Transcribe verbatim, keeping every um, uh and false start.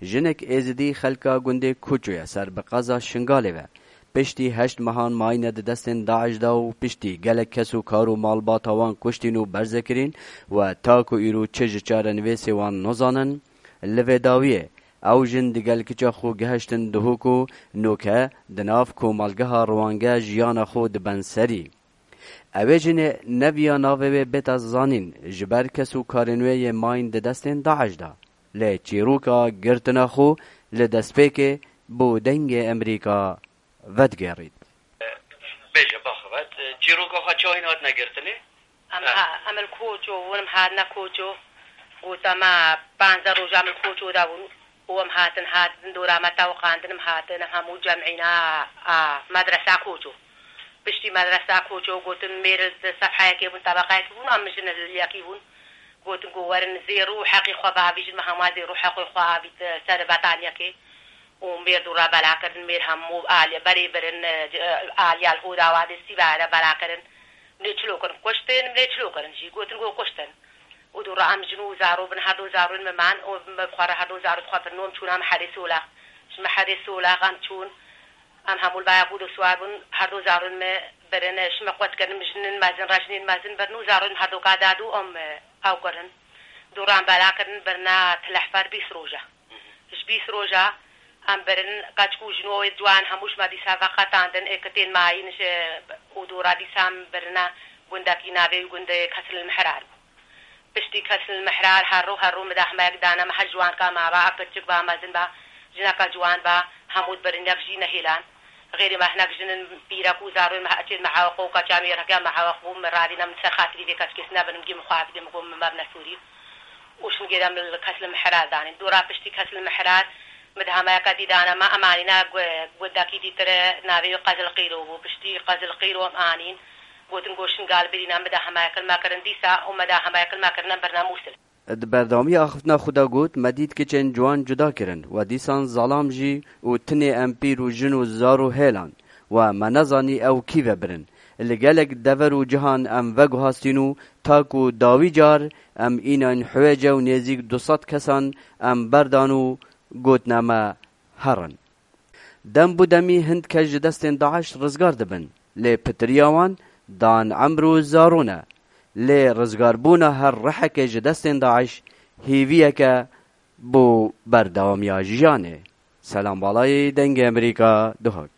Jinek Êzidî xelka gundê Koço ye ser bi qeza Şingalê ve. Piştî heşt mehan mayîne di destên DAIŞ de û piştî gelek kes û kar û malbata wan kuştîn û berze kirîn we ta ku îro çi ji çarenivêsê wan nozanin, li vê dawiyê ew jin digel kiça xwe gihiştin Duhok û noke di nav komelgeha Rwange jiyana xwe dibin serî. Ew ê jinê neviya navê wê bête zanîn, ji ber kes û karên wê yê mayîn di destên DAIŞ de. Lê çîroka girtina xwe li destpêkê bo Dengê Emerîka vedigêrît. Bêje, baxivît, çîroka xwe çawa hatine girtinê? Em, ha, em li Koço bûn, em hatine Koço. Gote me, panzdeh roja em li Koço de bûn. Û em hatin, hatin dora me tewiqandin, em hatin, em hemû cemîna, a, medresa Koço. Piştî medresa Koço gotin, mêr li sefheyekê bûn, tebeqeyekê bûn, em jin li yekî bûn. Gotin ku werin zêr û heqî xwe biavîjin, me hema zêr û heqê xwe avît, e, ser betaniyekê. Û mêr dora bela kirin, mêr hemû alî-, berê birin, e, c-, e, aliya li Hoda Wadê Sîbaya de bela kirin. Lê çilo kirin, kuştin, lê çilo kirin jî, gotin ku kuştin. Û dû re em jin û zaro bin, her du zarûn me man û me bi xwe re her du zarû xwe birno, em çûn em herê Sola. Ji me herê Sola em çûn, em hemû li baya ku du swar bûn, her du zarûn me birin, ji me qwet kirin, jinên mezin, rejinên mezin birin û zarûn her du ka dadû em, e, ew kirin. Dû re em bela kirin, birina Tilehfer bîst roja. Ji bîst roja em birin, keçik û jino wê ciwan hemû ji me dîsa veqetandin, ê kitên mayîn ji û dû re dîsa em birine gundekî navê wî gundê Kesril Mihrar bû. Piştî Kesril Mihrar her rû her rû midahmeyek dane me, her ciwanka maba, a kiçik ba, mezin ba, jineka ciwan ba, hemû dibirin, yek jî nehêlan. Xêrê me hinek jinin pîrek û zarûn me, eçên me heweq û keça me yê rekiya me heweq bû, min radîne min ser xatirî vê keçikê sinebin, min gî min xwe bidê, min got min mebne sûrî. Û şingêre min li Kesril Mihrar danîn. Dû re piştî Kesril Mihrar, midahmeyeke dî dane me, em anîne gu-, gundekî dîtir e, navê wî Qezil Qîro bû. Piştî Qezil Qîro em anîn. Gotin ku Şingal birîne, midahmeyek li me kirin dîsa û midahmeyek li me kirine birine Mûsil. Di berdewamiya axiftina xwe de got, me dît kiçên ciwan cuda kirin, we dîsan zalam jî û tinê em pîr û jin û zar û hêlan. We me nezanî ew kî ve birin. Li gelek dever û cihan em veguhastîn û ta ku dawî car em înayîn Huwêce û nêzîk du sed kesan em berdan û gotine me herin. Dem bi demî hin kes ji destên DAIŞ rizgar dibin, lê pitiriya wan dan emr û zarûn e. Lê rizgarbûna her rihekê ji destên DAIŞ hêviyeke bo berdewamiya jiyanê. Selam Balayî, Dengê Emerîka, Duhok.